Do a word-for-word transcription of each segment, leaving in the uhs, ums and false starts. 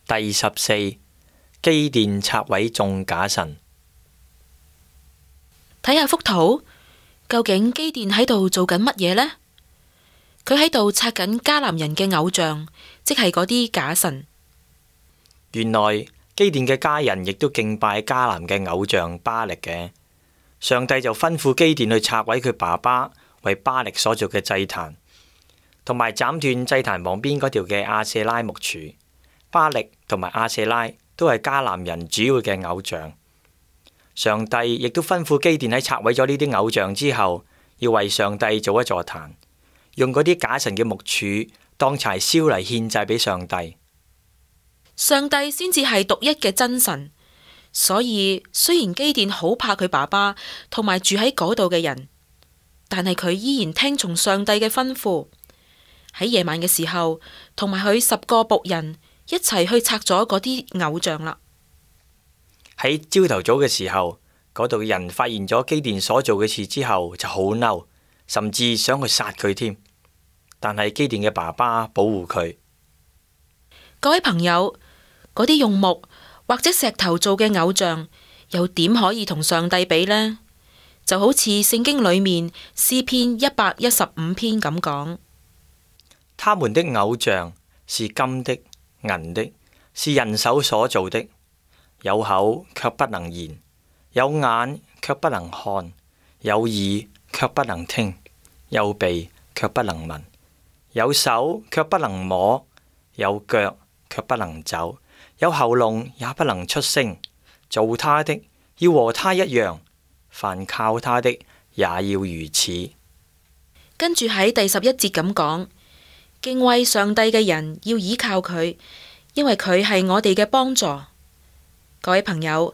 第十四，基甸拆毀眾假神。睇下幅圖，究竟基甸喺度做緊乜嘢呢？佢喺度拆緊迦南人嘅偶像，即係嗰啲假神。原來基甸嘅家人亦都敬拜迦南嘅偶像巴力嘅。上帝就吩咐基甸去拆毀佢爸爸為巴力所做嘅祭壇，同埋斬斷祭壇旁邊嗰條嘅亞舍拉木柱。巴力同埋亞舍拉都係迦南人主要嘅偶像。上帝亦都吩咐基甸喺拆毀咗呢啲偶像之後，要為上帝做一座壇，用嗰啲假神嘅木柱當柴燒嚟獻祭俾上帝。上帝先至係獨一嘅真神，所以雖然基甸好怕佢爸爸同埋住喺嗰度嘅人，但係佢依然聽從上帝嘅吩咐，喺夜晚嘅時候，同埋佢十個僕人一齊去拆咗嗰啲偶像啦。喺朝頭早嘅時候，嗰度嘅人發現咗基甸所做嘅事之後，就好嬲，甚至想去殺佢添。但係基甸嘅爸爸保護佢。各位朋友，嗰啲用木或者石頭做嘅偶像，又點可以同上帝比呢？就好似聖經裏面詩篇一百一十五篇咁講，他們的偶像是金的、銀的，是人手所做的，有口卻不能言，有眼卻不能看，有耳卻不能聽，有鼻卻不能聞，有手卻不能摸，有腳卻不能走，有喉嚨也不能出聲。做他的要和他一樣，凡靠他的也要如此。跟住喺第十一節咁講，敬畏上帝嘅人要倚靠佢，因為佢係我哋嘅幫助。各位朋友，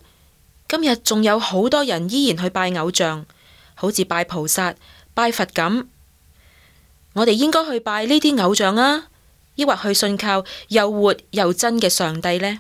今日仲有好多人依然去拜偶像，好似拜菩薩、拜佛咁。我哋應該去拜呢啲偶像啊，抑或去信靠又活又真嘅上帝呢？